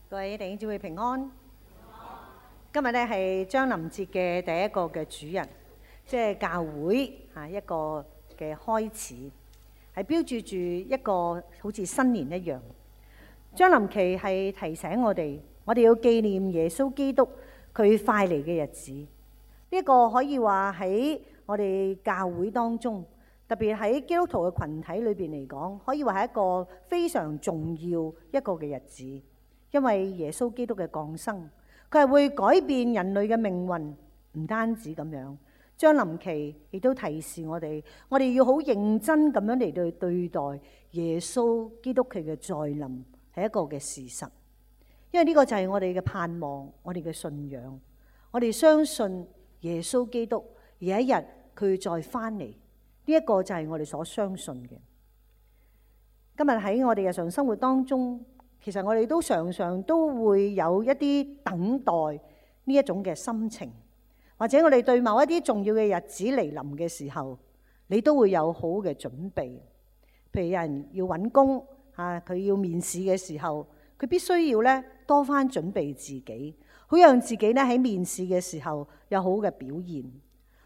各位弟兄姊妹平安。今日咧係將臨節嘅第一個嘅主日，即係教會一個嘅開始，係標誌住一個好似新年一樣。將臨期係提醒我哋要紀念耶穌基督佢快嚟嘅日子。呢個可以話喺我哋教會當中，特別喺基督徒嘅群體裏邊嚟講，可以話係一個非常重要一個嘅日子。因為耶穌基督嘅降生，佢係會改變人類嘅命運，唔單止咁樣。將臨期亦都提示我哋要好認真咁樣嚟到對待耶穌基督佢嘅再臨，係一個嘅事實。因為呢個就係我哋嘅盼望，我哋嘅信仰，我哋相信耶穌基督有一日佢再翻嚟，呢一個就係我哋所相信嘅。今日喺我哋日常生活當中，其實我哋都常常都會有一啲等待呢一種嘅心情，或者我哋對某一啲重要嘅日子嚟臨嘅時候，你都會有好嘅準備。譬如有人要揾工佢要面試嘅時候，佢必須要咧多番準備自己，好讓自己咧喺面試嘅時候有好嘅表現。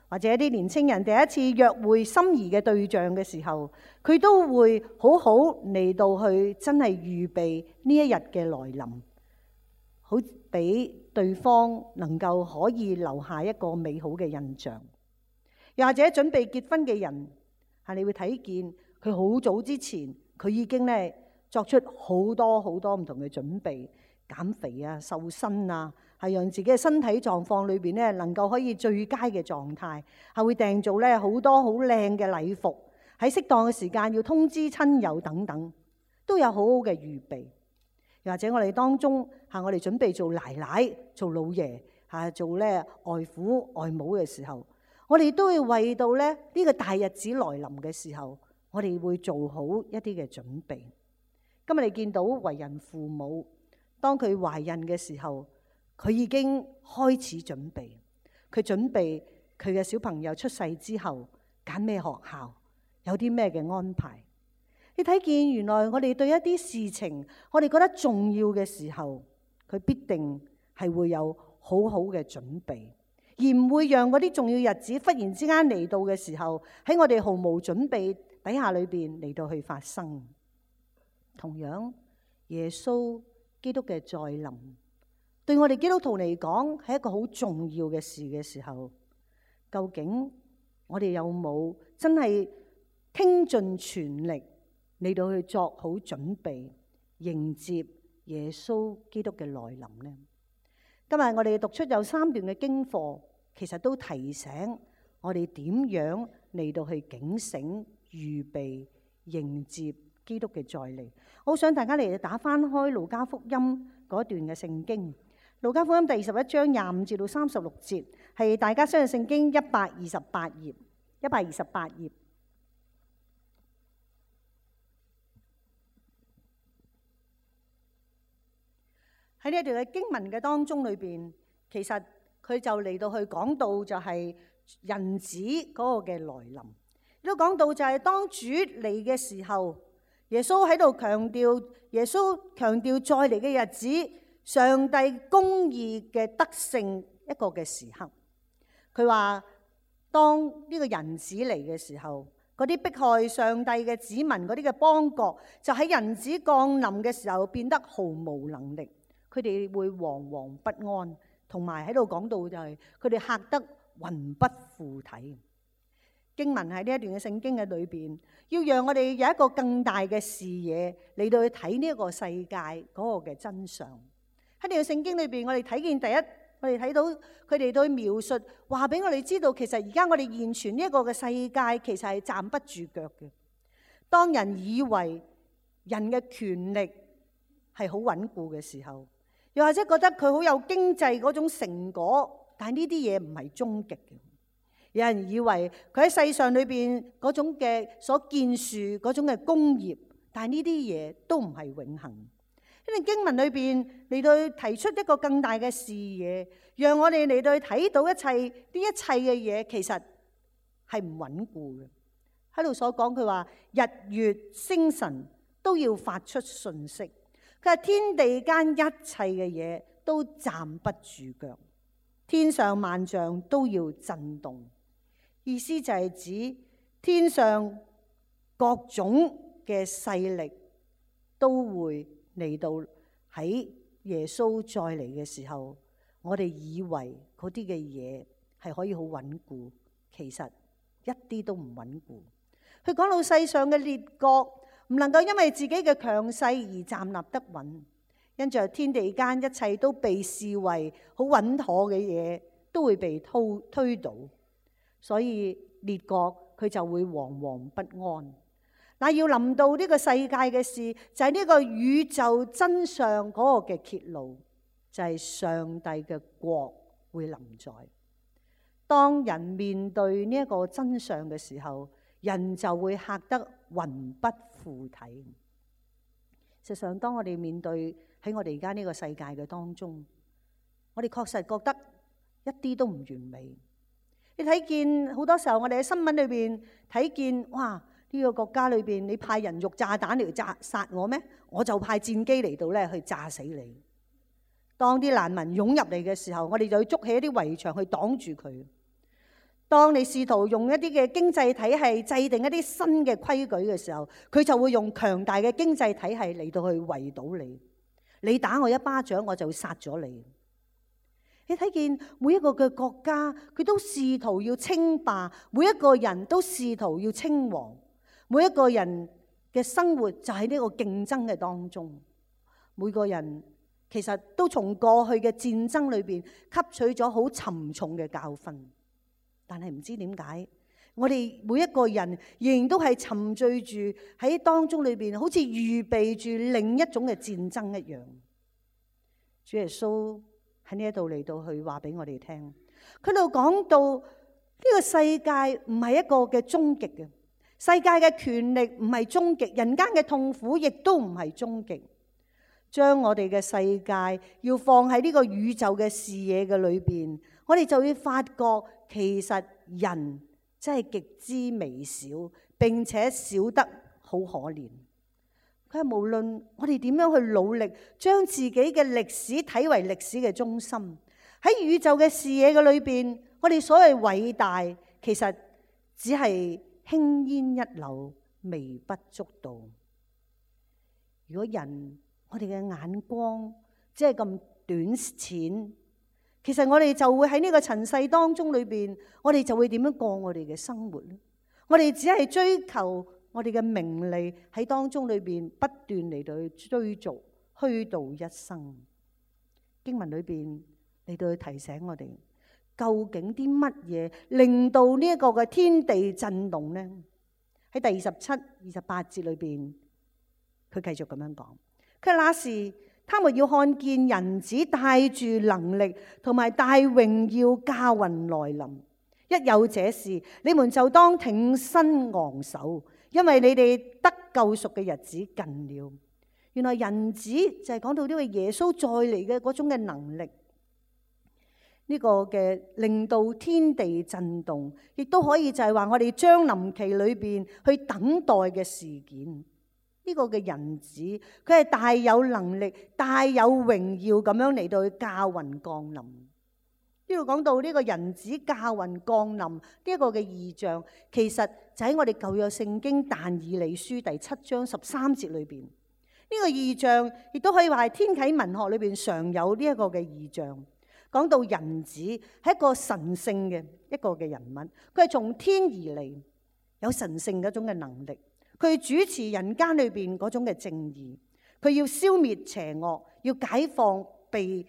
或者一啲年青人第一次約會心儀嘅對象嘅時候，佢都會好好嚟到去真係預備呢一日嘅來臨，好俾對方能夠可以留下一個美好嘅印象。又或者準備結婚嘅人，你會睇見佢好早之前，佢已經咧作出好多好多唔同嘅準備，減肥啊、瘦身啊，係讓自己嘅身體狀況裏邊咧能夠可以最佳嘅狀態，係會訂做咧好多好靚嘅禮服，喺適當嘅時間要通知親友等等，都有好好嘅預備。又或者我哋當中我哋準備做奶奶、做老爺做咧外父外母嘅時候，我哋都會為到咧呢個大日子來臨嘅時候，我哋會做好一啲嘅準備。今日你見到為人父母，當佢懷孕嘅時候，佢已經開始準備，佢準備佢嘅小朋友出世之後揀咩學校，有啲咩嘅安排。你睇見原來我哋對一啲事情，我哋覺得重要嘅時候，佢必定係會有好好嘅準備，而唔會讓嗰啲重要日子忽然之間嚟到嘅時候，喺我哋毫無準備底下裏邊嚟到去發生。同樣，耶穌基督嘅再臨，對我哋基督徒嚟講係一個好重要嘅事嘅時候，究竟我哋有冇真係傾盡全力嚟到去作好準備，迎接耶穌基督嘅來臨呢？今日我哋讀出有3段嘅經課，其實都提醒我哋點樣嚟到去警醒、預備、迎接基督嘅再嚟。我好想大家嚟打翻開路加福音嗰段嘅聖經，路加福音第21章25至到36節，係大家相信聖經128頁，128頁。喺呢一段嘅經文嘅當中裏邊，其實佢就嚟到去講到就係人子嗰個嘅來臨，亦都講到就係當主嚟嘅時候，耶穌喺度強調再嚟嘅日子，上帝公義嘅得勝一個嘅時刻。佢話當呢個人子嚟嘅時候，嗰啲迫害上帝嘅子民嗰啲嘅邦國，就喺人子降臨嘅時候變得毫無能力。佢哋會惶惶不安，同埋喺度講到就係佢哋嚇得魂不附體。經文喺呢一段嘅聖經嘅裏邊，要讓我哋有一個更大嘅視野嚟到去睇呢一個世界嗰個嘅真相。喺呢段聖經裏邊，我哋睇見我哋睇到佢哋對描述，話俾我哋知道，其實而家我哋現存呢一個嘅世界，其實係站不住腳嘅。當人以為人嘅權力係好穩固嘅時候，又或者覺得佢好有經濟嗰種成果，但係呢啲嘢唔係終極嘅。有人以為佢喺世上裏邊嗰種嘅所建樹嗰種嘅工業，但係呢啲嘢都唔係永恆。呢段經文裏邊嚟到提出一個更大嘅視野，讓我哋嚟到睇到一切呢一切嘅嘢其實係唔穩固嘅。喺度所講佢話日月星辰都要發出訊息。佢話天地間一切嘅嘢都站不住腳，天上萬象都要震動。意思就係指天上各種嘅勢力都會嚟到喺耶穌再嚟嘅時候，我哋以為嗰啲嘅嘢係可以好穩固，其實一啲都唔穩固。佢講到世上嘅列國唔能夠因為自己嘅強勢而站立得穩，因着天地間一切都被視為好穩妥嘅嘢，都會被推倒，所以列國佢就會惶惶不安。嗱，要臨到呢個世界嘅事，就係呢個宇宙真相嗰個嘅揭露，就係上帝嘅國會臨在。當人面對呢一個真相嘅時候，人就會嚇得魂不附體。實際上，當我哋面對喺我哋而家呢個世界嘅當中，我哋確實覺得一啲都唔完美。你睇見好多時候，我哋喺新聞裏邊睇見，哇！呢個國家裏邊，你派人肉炸彈嚟殺我咩？我就派戰機嚟到咧去炸死你。當啲難民湧入嚟嘅時候，我哋就要築起一啲圍牆去擋住佢。當你試圖用一啲嘅經濟體系制定一啲新嘅規矩嘅時候，佢就會用強大嘅經濟體系嚟到去圍堵你。你打我一巴掌，我就會殺咗你。你睇見每一個嘅國家，佢都試圖要稱霸，每一個人都試圖要稱王。每一個人嘅生活就喺呢個競爭嘅當中，每個人其實都從過去嘅戰爭裏邊吸取咗好沉重嘅教訓，但係唔知點解，我哋每一個人仍然都係沉醉住喺當中裏邊，好似預備住另一種嘅戰爭一樣。主耶穌喺呢一度嚟到去話俾我哋聽，佢度講到呢個世界唔係一個嘅終極嘅。世界嘅權力唔係終極，人間嘅痛苦亦都唔係終極。將我哋嘅世界要放喺呢個宇宙嘅視野嘅裏邊，我哋就會發覺其實人真係極之微小，並且少得好可憐。佢係無論我哋點樣去努力，將自己嘅歷史睇為歷史嘅中心，喺宇宙嘅視野嘅裏邊，我哋所謂偉大，其實只係輕煙一縷，微不足道。如果人我哋嘅眼光只係咁短淺，其實我哋就會喺呢個塵世當中裏邊，我哋就會點樣過我哋嘅生活呢？我哋只係追求我哋嘅名利喺當中裏邊不斷嚟到去追逐，虛度一生。經文裏邊嚟到去提醒我哋，究竟啲乜嘢令到呢一個嘅天地震動呢？喺第27、28節裏邊，佢繼續咁樣講。佢話那時，他們要看見人子帶住能力同埋大榮耀駕雲來臨。一有這事，你們就當挺身昂首，因為你哋得救贖嘅日子近了。原來人子就係講到呢個耶穌再嚟嘅嗰種嘅能力。呢個嘅令到天地震動，亦都可以就係話我哋將臨期裏邊去等待嘅事件。呢個嘅人子，佢係大有能力、大有榮耀咁樣嚟到去駕雲降臨。呢度講到呢個人子駕雲降臨呢一個嘅異象，其實就喺我哋舊約聖經但以理書第7章13節裏邊。呢個異象亦都可以話係天啟文學裏邊常有呢一個嘅異象。講到人子係一個神聖嘅一個嘅人物，佢係從天而嚟，有神聖嗰種嘅能力，佢主持人間裏邊嗰種嘅正義，佢要消滅邪惡，要解放被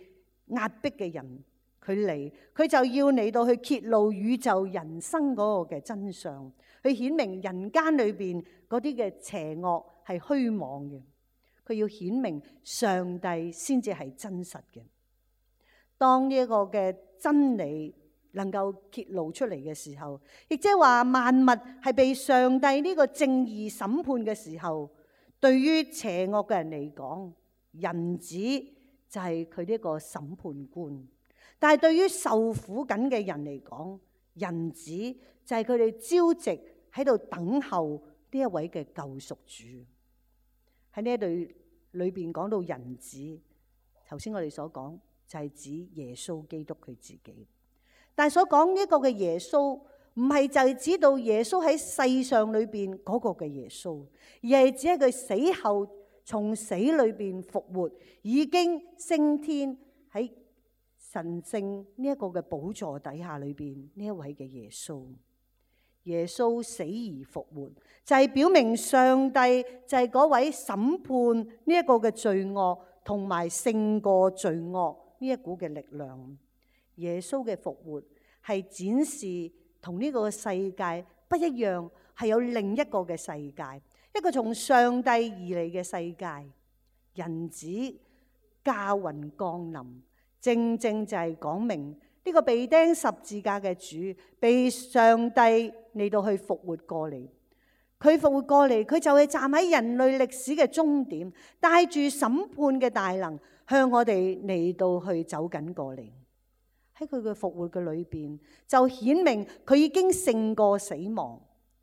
壓迫嘅人，佢就要嚟到去揭露宇宙人生嗰個嘅真相，去顯明人間裏邊嗰啲嘅邪惡係虛妄嘅，佢要顯明上帝先至係真實嘅。當呢一個嘅真理能夠揭露出嚟嘅時候，亦即係話萬物係被上帝呢個正義審判嘅時候，對於邪惡嘅人嚟講，人子就係佢呢個審判官；但係對於受苦緊嘅人嚟講，人子就係佢哋朝夕喺度等候呢一位嘅救贖主。喺呢一度裏邊講到人子，頭先我哋所講就係指耶穌基督佢自己。但係所講呢個嘅耶穌，唔係就係指到耶穌喺世上裏邊嗰個嘅耶穌，而係只係佢死後從死裏邊復活，已經升天喺神聖呢一個嘅寶座底下裏邊呢一位嘅耶穌。耶穌死而復活，就係表明上帝就係嗰位審判呢一個嘅罪惡，同埋勝過罪惡呢一股嘅力量。耶穌嘅復活係展示同呢個世界不一樣，係有另一個嘅世界，一個從上帝而嚟嘅世界。人子駕雲降臨，正正就係講明呢個被釘十字架嘅主，被上帝嚟到去復活過嚟。佢復活過嚟，佢就係站喺人類歷史嘅終點，帶住審判嘅大能，向我哋嚟到去走緊過嚟。喺佢嘅復活嘅裏邊，就顯明佢已經勝過死亡。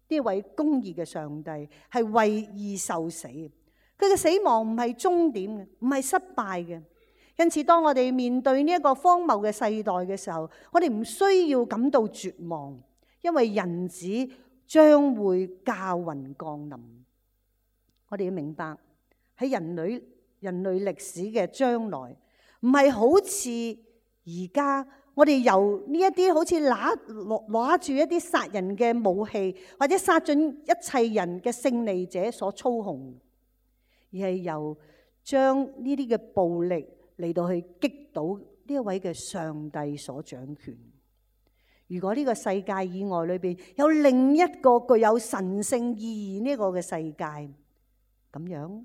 呢位公義嘅上帝係為義受死，佢嘅死亡唔係終點嘅，唔係失敗嘅。因此，當我哋面對呢一個荒謬嘅世代嘅時候，我哋唔需要感到絕望，因為人子將會駕雲降臨。我哋要明白喺人類歷史嘅將來，唔係好似而家我哋由呢一啲好似攞住一啲殺人嘅武器，或者殺盡一切人嘅勝利者所操控，而係由將呢啲嘅暴力嚟到去擊倒呢一位嘅上帝所掌權。如果呢個世界以外裏邊有另一個具有神聖意義呢個嘅世界，咁樣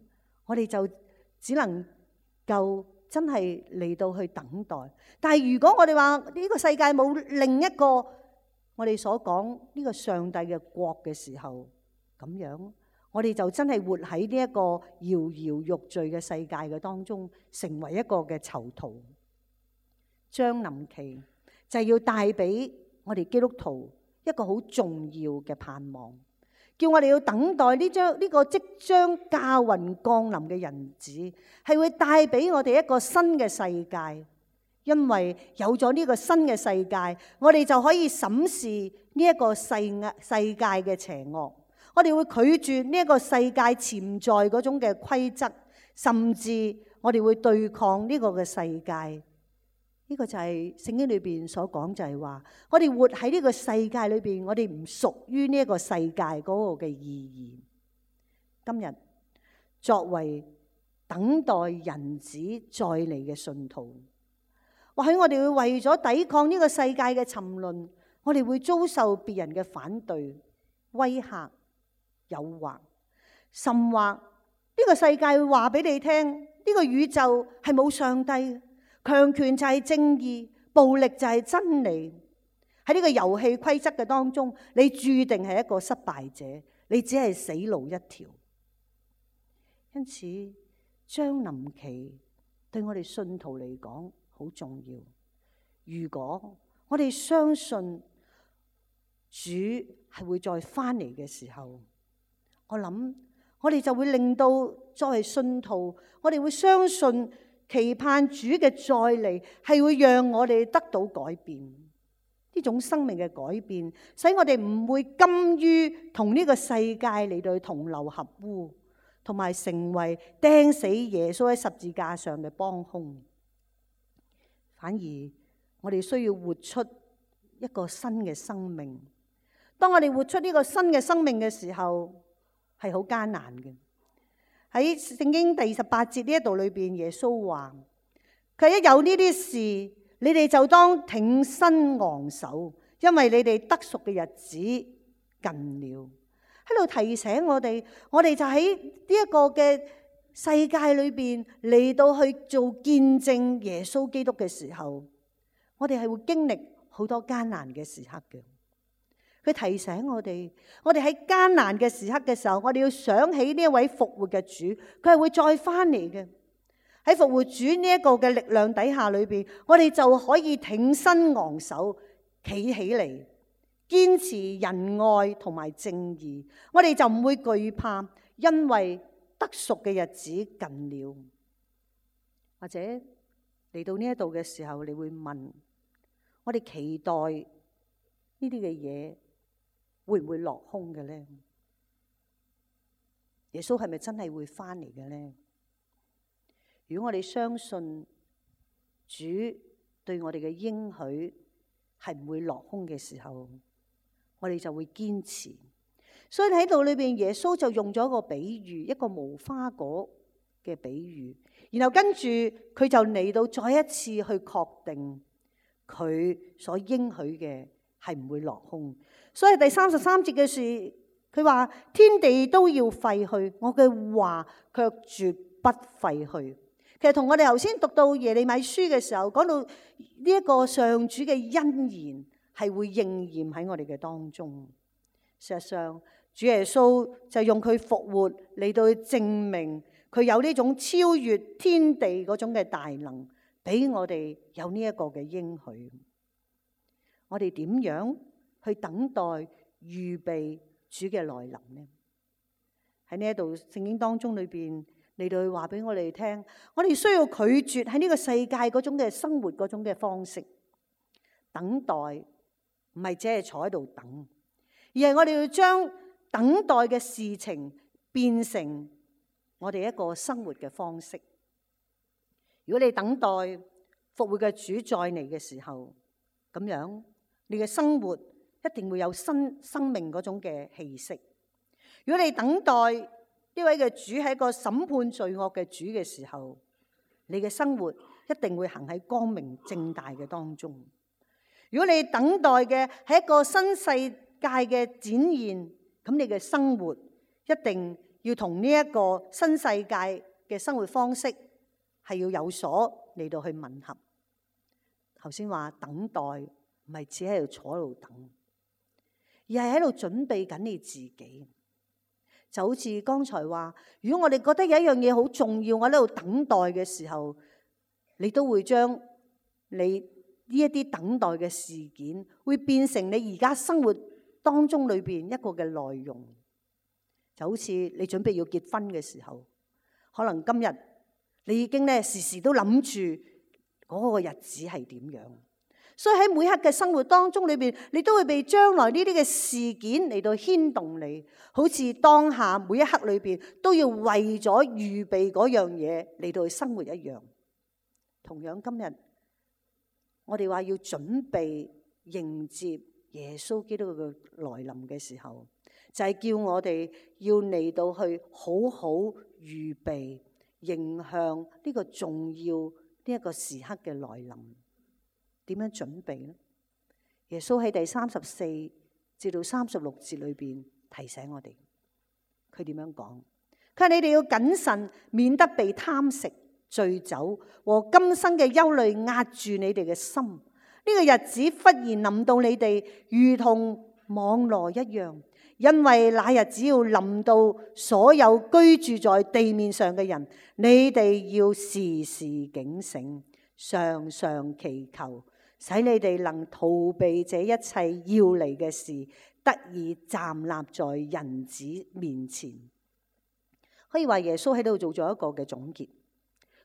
我哋就只能夠真係嚟到去等待。但係如果我哋話呢個世界冇另一個我哋所講呢個上帝嘅國嘅時候，咁樣我哋就真係活喺呢一個搖搖欲墜嘅世界嘅當中，成為一個嘅囚徒。將臨期就係要帶俾我哋基督徒一個好重要嘅盼望，叫我哋要等待呢個即將駕雲降臨嘅人子，係會帶俾我哋一個新嘅世界。因為有咗呢個新嘅世界，我哋就可以審視呢一個世界嘅邪惡，我哋會拒絕呢一個世界潛在嗰種嘅規則，甚至我哋會對抗呢個嘅世界。呢個就係聖經裏邊所講，就係話我哋活喺呢個世界裏邊，我哋唔屬於呢一個世界嗰個嘅意義。今日作為等待人子再嚟嘅信徒，或許我哋會為咗抵抗呢個世界嘅沉淪，我哋會遭受別人嘅反對、威嚇、誘惑，甚或呢個世界會話俾你聽，呢個宇宙係冇上帝。強權就係正義，暴力就係真理。喺呢個遊戲規則嘅當中，你注定係一個失敗者，你只係死路一條。因此，將臨期對我哋信徒嚟講好重要。如果我哋相信主係會再翻嚟嘅時候，我諗我哋就會令到作為信徒，我哋會相信。期盼主嘅再嚟係會讓我哋得到改變，呢種生命嘅改變，使我哋唔會甘於同呢個世界嚟到同流合污，同埋成為釘死耶穌喺十字架上嘅幫兇。反而我哋需要活出一個新嘅生命。當我哋活出呢個新嘅生命嘅時候，係好艱難嘅。喺聖經第28節呢一度裏邊，耶穌話：佢一有呢啲事，你哋就當挺身昂首，因為你哋得贖嘅日子近了。喺度提醒我哋就喺呢一個嘅世界裏邊嚟到去做見證耶穌基督嘅時候，我哋係會經歷好多艱難嘅時刻嘅。佢提醒我哋喺艱難嘅時刻嘅時候，我哋要想起呢一位復活嘅主，佢係會再翻嚟嘅。喺復活主呢一個嘅力量底下裏邊，我哋就可以挺身昂首，企起嚟，堅持仁愛同埋正義。我哋就唔會懼怕，因為得贖嘅日子近了。或者嚟到呢一度嘅時候，你會問：我哋期待呢啲嘅嘢會唔會落空嘅咧？耶穌係咪真係會翻嚟嘅咧？如果我哋相信主對我哋嘅應許係唔會落空嘅時候，我哋就會堅持。所以喺度裏邊，耶穌就用咗一個比喻，一個無花果嘅比喻，然後跟住佢就嚟到再一次去確定佢所應許嘅係唔會落空。所以第33節嘅事，佢話天地都要廢去，我嘅話卻絕不廢去。其實同我哋頭先讀到耶利米書嘅時候，講到呢一個上主嘅恩言係會應驗喺我哋嘅當中。事實上，主耶穌就用佢復活嚟到證明佢有呢種超越天地嗰種嘅大能，俾我哋有呢一個嘅應許。我哋點樣去等待預備主嘅來臨呢？喺呢一度聖經當中裏邊嚟到去話俾我哋聽，我哋需要拒絕喺呢個世界嗰種嘅生活嗰種嘅方式。等待唔係只係坐喺度等，而係我哋要將等待嘅事情變成我哋一個生活嘅方式。如果你等待復活嘅主再嚟嘅時候，咁樣你嘅生活一定會有新生命嗰種嘅氣息。如果你等待呢位嘅主係一個審判罪惡嘅主嘅時候，你嘅生活一定會行喺光明正大嘅當中。如果你等待嘅係一個新世界嘅展現，咁你嘅生活一定要同呢一個新世界嘅生活方式係要有所嚟到去吻合。頭先話等待唔係只喺度坐喺度等，而係喺度準備緊你自己。就好似剛才話，如果我哋覺得有一樣嘢好重要，我喺度等待嘅時候，你都會將你呢一啲等待嘅事件，會變成你而家生活當中裏邊一個嘅內容。就好似你準備要結婚嘅時候，可能今日你已經咧時時都諗住嗰個日子係點樣。所以喺每刻嘅生活當中裏邊，你都會被將來呢啲嘅事件嚟到牽動你，好似當下每一刻裏邊都要為咗預備嗰樣嘢嚟到去生活一樣。同樣今日我哋話要準備迎接耶穌基督嘅來臨嘅時候，就係叫我哋要嚟到去好好預備迎向呢個重要呢一個時刻嘅來臨。點樣準備呢？耶穌喺第34至到36節裏邊提醒我哋，佢點樣講？佢話你哋要謹慎，免得被貪食、醉酒和今生嘅憂慮壓住你哋嘅心。呢個日子忽然臨到你哋，如同網羅一樣，因為那日子要臨到所有居住在地面上嘅人，你哋要時時警醒，常常祈求，使你哋能逃避這一切要嚟嘅事，得以站立在人子面前。可以話耶穌喺度做咗一個嘅總結，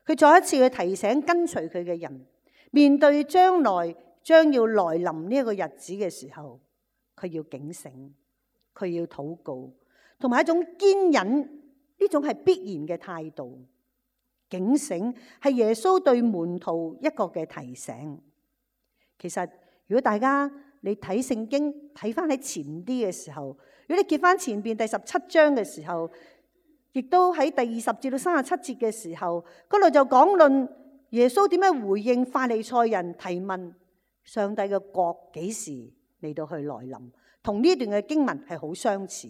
佢再一次去提醒跟隨佢嘅人，面對將要來臨呢一個日子嘅時候，佢要警醒，佢要禱告，同埋一種堅忍，呢種係必然嘅態度。警醒係耶穌對門徒一個嘅提醒。其實如果大家你睇聖經睇翻喺前啲嘅時候，如果你揭翻前邊第17章嘅時候，亦都喺第20至到37節嘅時候，嗰度就講論耶穌點樣回應法利賽人提問上帝嘅國幾時嚟到去來臨，同呢段嘅經文係好相似。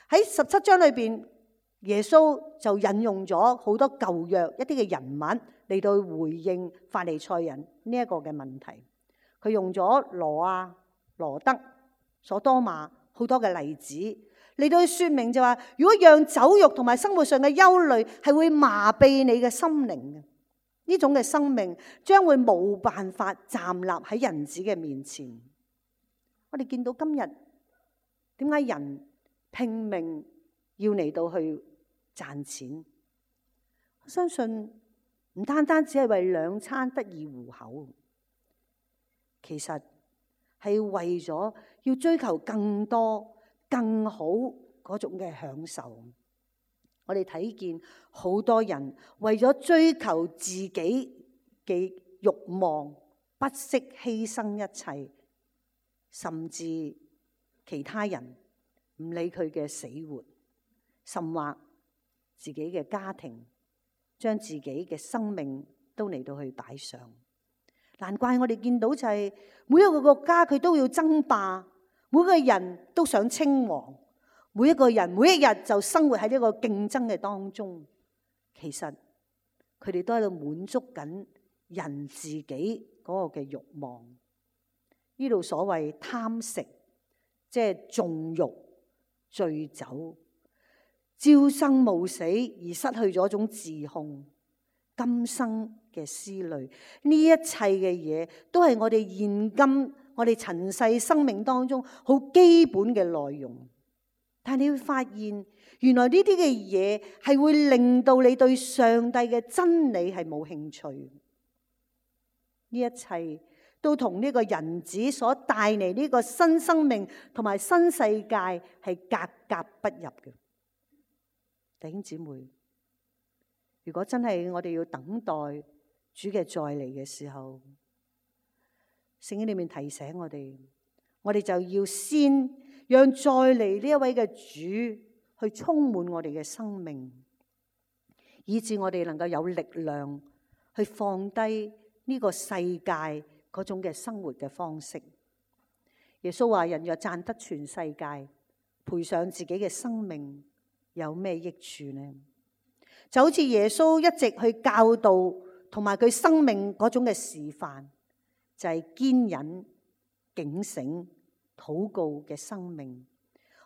喺17章裏邊，耶穌就引用咗好多舊約一啲嘅人物嚟到回應法利賽人呢一個嘅問題。佢用咗羅亞、羅德、所多瑪好多嘅例子嚟到說明，就話如果讓酒肉同埋生活上嘅憂慮係會麻痹你嘅心靈嘅，呢種嘅生命將會冇辦法站立喺人子嘅面前。我哋見到今日點解人拼命要嚟到去賺錢。我相信唔單單只係為兩餐得以糊口，其實係為咗要追求更多、更好嗰種嘅享受。我哋睇見好多人為咗追求自己嘅慾望，不惜犧牲一切，甚至其他人唔理佢嘅死活，甚或自己嘅家庭，將自己嘅生命都嚟到去擺上。難怪我哋見到就係每一個國家佢都要爭霸，每個人都想稱王，每一個人每一日就生活喺呢個競爭嘅當中。其實佢哋都喺度滿足緊人自己嗰個嘅慾望。呢度所謂貪食，即係縱慾、醉酒，朝生暮死而失去咗一種自控，今生嘅思慮，呢一切嘅嘢都係我哋現今我哋塵世生命當中好基本嘅內容。但係你會發現，原來呢啲嘅嘢係會令到你對上帝嘅真理係冇興趣。呢一切都同呢個人子所帶嚟呢個新生命同埋新世界係格格不入嘅。弟兄姊妹，如果真係我哋要等待主嘅再嚟嘅時候，聖經裏面提醒我哋就要先讓再嚟呢一位嘅主去充滿我哋嘅生命，以致我哋能夠有力量去放低呢個世界嗰種嘅生活嘅方式。耶穌話：人若賺得全世界，賠上自己嘅生命，有咩益處呢？就好似耶穌一直去教導同埋佢生命嗰種嘅示範，就係堅忍、警醒、禱告嘅生命，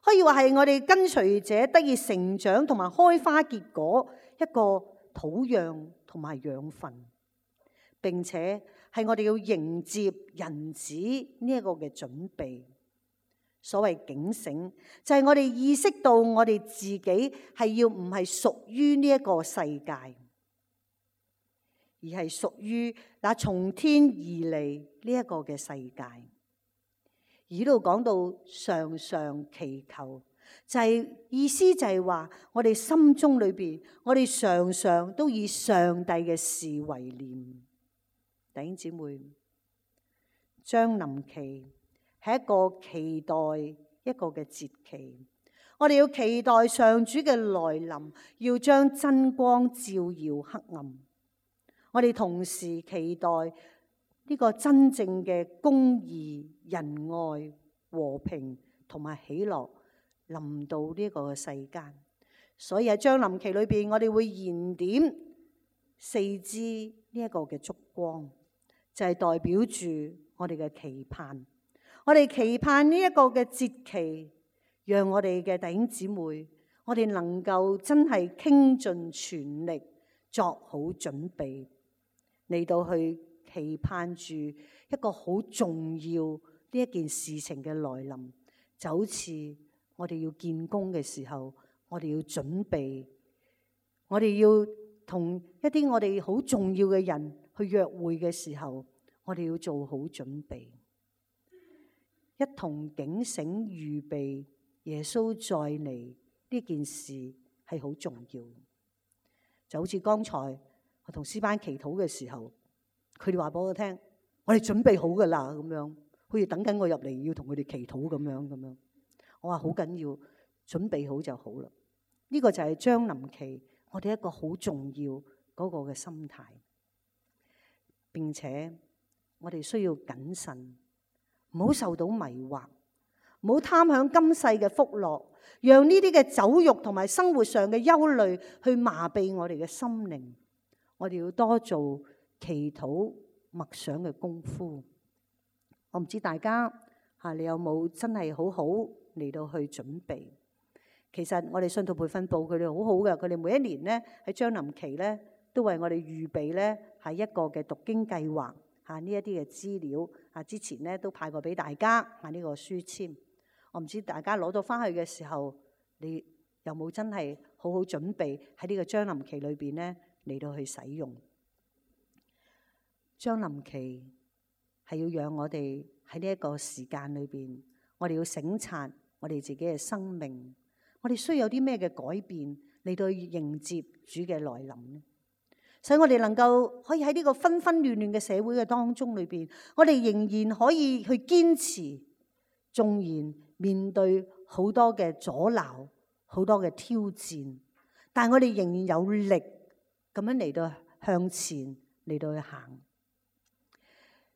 可以話係我哋跟隨者得以成長同埋開花結果一個土壤同埋養分，並且係我哋要迎接人子呢一個嘅準備。所謂警醒，就係我哋意識到我哋自己係要唔係屬於呢一個世界，而係屬於那從天而嚟呢一個嘅世界。而呢度講到常常祈求，就係意思就係話我哋心中裏邊，我哋常常都以上帝嘅事為念。弟兄姊妹，將臨期係一個期待一個嘅節期，我哋要期待上主嘅來臨，要將真光照耀黑暗。我哋同時期待呢個真正嘅公義、仁愛、和平同埋喜樂臨到呢個世間。所以喺將臨期裏邊，我哋會燃點4支呢一個嘅燭光，就係代表住我哋嘅期盼。我哋期盼呢一個嘅節期，讓我哋嘅弟兄姊妹，我哋能夠真係傾盡全力作好準備，嚟到去期盼住一個好重要呢一件事情嘅來臨。就好似我哋要建工嘅時候，我哋要準備，我哋要同一啲我哋好重要嘅人去約會嘅時候，我哋要做好準備。一同警醒預備耶穌再嚟呢件事係好重要。就好似剛才我同詩班祈禱嘅時候，佢哋話俾我聽，我哋準備好噶啦，咁樣好似等緊我入嚟要同佢哋祈禱咁樣。我話好緊要，準備好就好啦。呢個就係將臨期我哋一個好重要嗰個嘅心態，並且我哋需要謹慎。唔好受到迷惑，唔好貪享今世嘅福樂，讓呢啲嘅酒肉同埋生活上嘅憂慮去麻痹我哋嘅心靈。我哋要多做祈禱默想嘅功夫。我唔知大家你有冇真係好好嚟到去準備？其實我哋信徒培訓部佢哋好好嘅，佢哋每一年咧喺將臨期咧都為我哋預備咧係一個嘅讀經計劃。呢一啲嘅資料之前咧都派過俾大家呢個書籤。我唔知大家攞到翻去嘅時候，你有冇真係好好好準備喺呢個將臨期裏邊咧嚟到去使用。將臨期係要讓我哋喺呢一個時間裏邊，我哋要省察我哋自己嘅生命，我哋需要有啲咩嘅改變嚟到去迎接主嘅來臨呢？使我哋能夠可以喺呢個紛紛亂亂嘅社會嘅當中裏邊，我哋仍然可以去堅持，縱然面對好多嘅阻撓、好多嘅挑戰，但係我哋仍然有力咁樣嚟到向前嚟到去行。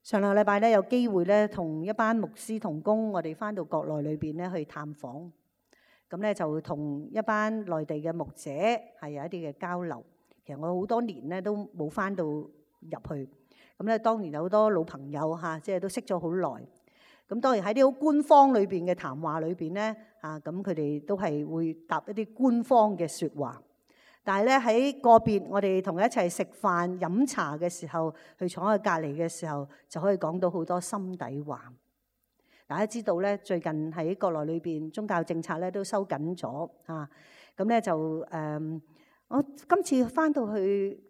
上兩個禮拜咧有機會咧同一班牧師同工，我哋翻到國內裏邊咧去探訪，咁咧就同一班內地嘅牧者係有一啲嘅交流。其實我好多年咧都冇翻到入去，咁咧當然有好多老朋友嚇，即係都識咗好耐。咁當然喺啲好官方裏邊嘅談話裏邊咧，咁佢哋都係會答一啲官方嘅説話。但係咧喺個別我哋同佢一齊食飯飲茶嘅時候，去坐喺隔離嘅時候，就可以講到好多心底話。大家知道咧，最近喺國內裏邊宗教政策咧都收緊咗嚇，咁咧就我今次翻到去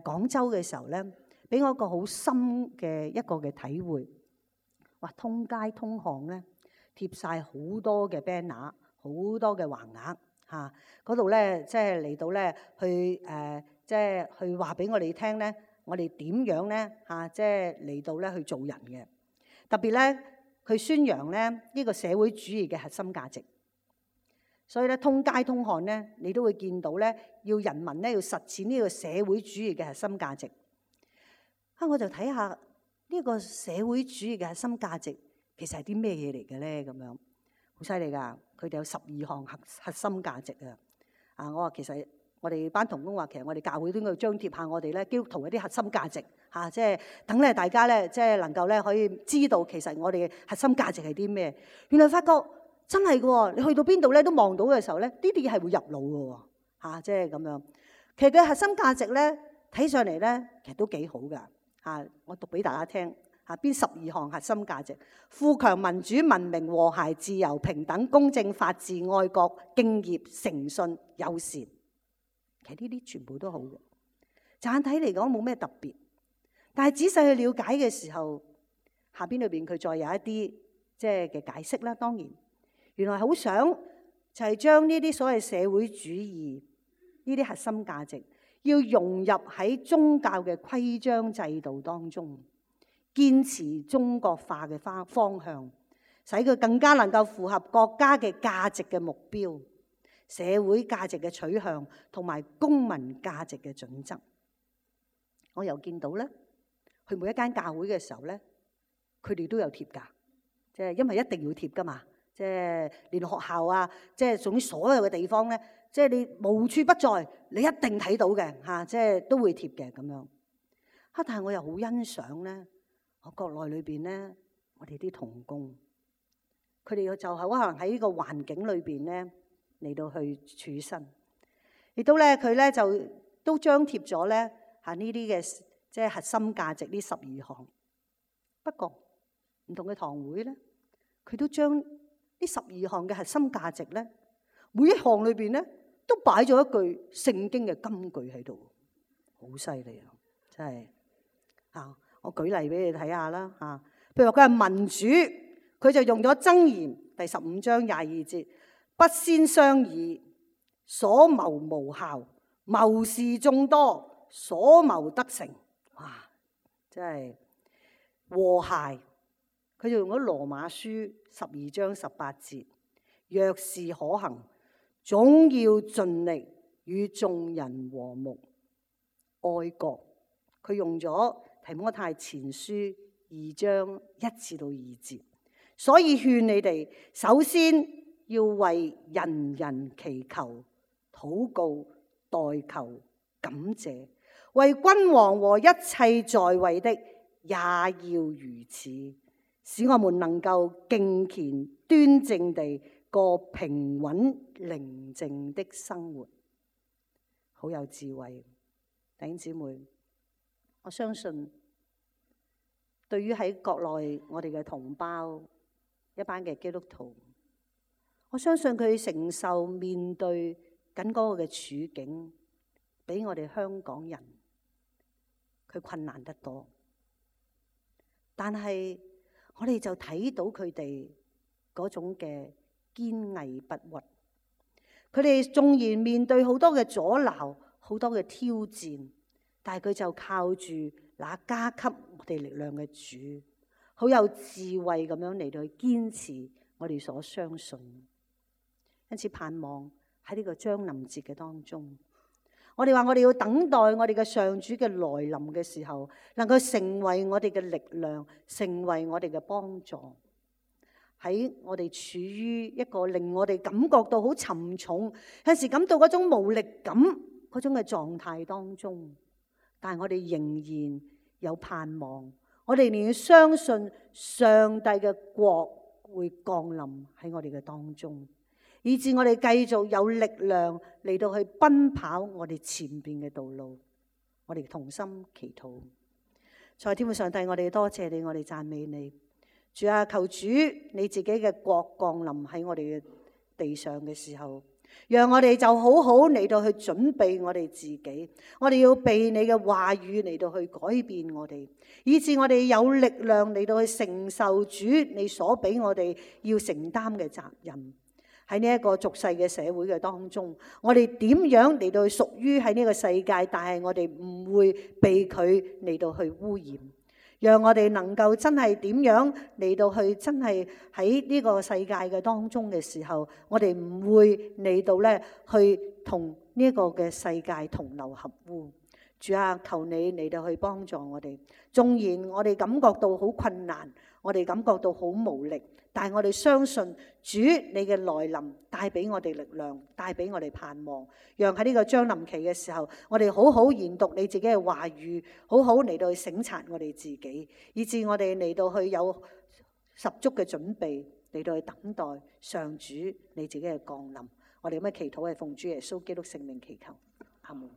廣州嘅時候咧，俾我一個好深嘅一個嘅體會。哇！通街通巷咧貼晒好多嘅 banner， 好多嘅橫額。嗰度咧，即係嚟到咧，去即係去話俾我哋聽咧，我哋點樣咧即係嚟到咧去做人嘅。特別咧，佢宣揚咧呢個社會主義嘅核心價值。所以咧，通街通巷咧，你都會見到咧，要人民咧要實踐呢個社會主義嘅核心價值。我就睇下呢個社會主義嘅核心價值其實係啲咩嘢嚟嘅咧？咁樣。好犀利㗎！佢哋有12項核心價值啊！我話其實我哋班同工話，其實我哋教會都應該張貼下我哋咧基督徒一啲核心價值嚇，即係等咧大家咧即係能夠咧可以知道其實我哋嘅核心價值係啲咩。原來發覺真係嘅喎，你去到邊度咧都望到嘅時候咧，呢啲嘢係會入腦嘅喎，即係咁樣。其實佢核心價值咧睇上嚟咧，其實都幾好㗎嚇。我讀俾大家聽。邊12項核心價值？富強、民主、文明、和諧、自由、平等、公正、法治、愛國、敬業、誠信、友善。其實呢啲全部都好嘅，乍睇嚟講冇咩特別，但係仔細去了解嘅時候，下邊裏邊佢再有一啲即係嘅解釋啦。當然，原來好想就係將呢啲所謂社會主義呢啲核心價值，要融入喺宗教嘅規章制度當中。堅持中國化嘅方向，使佢更加能夠符合國家嘅價值嘅目標、社會價值嘅取向同埋公民價值嘅準則。我又見到咧，去每一間教會嘅時候咧，佢哋都有貼㗎，即係因為一定要貼㗎嘛，即係連學校啊，即係總之所有嘅地方咧，即係你無處不在，你一定睇到嘅嚇，即係都會貼嘅咁樣。但係我又好欣賞咧。我國內裏邊咧，我哋啲同工，佢哋就係可能喺呢個環境裏邊咧嚟到去處身，亦都咧佢咧就都張貼咗咧呢啲嘅即係核心價值呢12項。不過唔同嘅堂會咧，佢都將呢12項嘅核心價值咧，每一項裏邊咧都擺咗一句聖經嘅金句喺度，好犀利啊！真係嚇。我舉例俾你睇下啦嚇，譬如話佢係民主，佢就用咗箴言第15章22節，不先商議，所謀無效；謀士眾多，所謀得成。哇！真係和諧，佢就用咗羅馬書12章18節，若是可行，總要盡力與眾人和睦。愛國，佢用咗提摩太前書2章1至2節，所以勸你哋首先要為人人祈求、禱告、代求、感謝，為君王和一切在位的也要如此，使我們能夠敬虔端正地過平穩寧靜的生活。好有智慧，弟兄姊妹。我相信，對於喺國內我哋嘅同胞，一班嘅基督徒，我相信佢承受面對緊嗰個嘅處境，比我哋香港人佢困難得多。但係我哋就睇到佢哋嗰種嘅堅毅不屈。佢哋縱然面對好多嘅阻撓、好多嘅挑戰，但係佢就靠住那加給我哋力量嘅主，好有智慧咁樣嚟到去堅持我哋所相信。因此盼望喺呢個將臨節嘅當中，我哋話我哋要等待我哋嘅上主嘅來臨嘅時候，能夠成為我哋嘅力量，成為我哋嘅幫助。喺我哋處於一個令我哋感覺到好沉重，有時感到嗰種無力感嗰種嘅狀態當中，但係我哋仍然有盼望，我哋仍然相信上帝嘅國會降臨喺我哋嘅當中，以致我哋繼續有力量嚟到去奔跑我哋前邊嘅道路。我哋同心祈禱。在天父上帝，我哋多謝你，我哋讚美你。主啊，求主你自己嘅國降臨喺我哋嘅地上嘅時候，讓我哋就好好嚟到去準備我哋自己。我哋要被你嘅話語嚟到去改變我哋，以致我哋有力量嚟到去承受主你所俾我哋要承擔嘅責任。喺呢一個俗世嘅社會嘅當中，我哋點樣嚟到去屬於喺呢個世界，但係我哋唔會被佢嚟到去污染。讓我哋能夠真係點樣嚟到去真係喺呢個世界嘅當中嘅時候，我哋唔會嚟到咧去同呢一個嘅世界同流合污。主啊，求你嚟到去幫助我哋。縱然我哋感覺到好困難，我哋感覺到好無力，但係我哋相信主你嘅來臨帶俾我哋力量，帶俾我哋盼望。讓喺呢個將臨期嘅時候，我哋好好研讀你自己嘅話語，好好嚟到去省察我哋自己，以致我哋嚟到去有十足嘅準備嚟到去等待上主你自己嘅降臨。我哋咁嘅祈禱係奉主耶穌基督聖名祈求，阿門。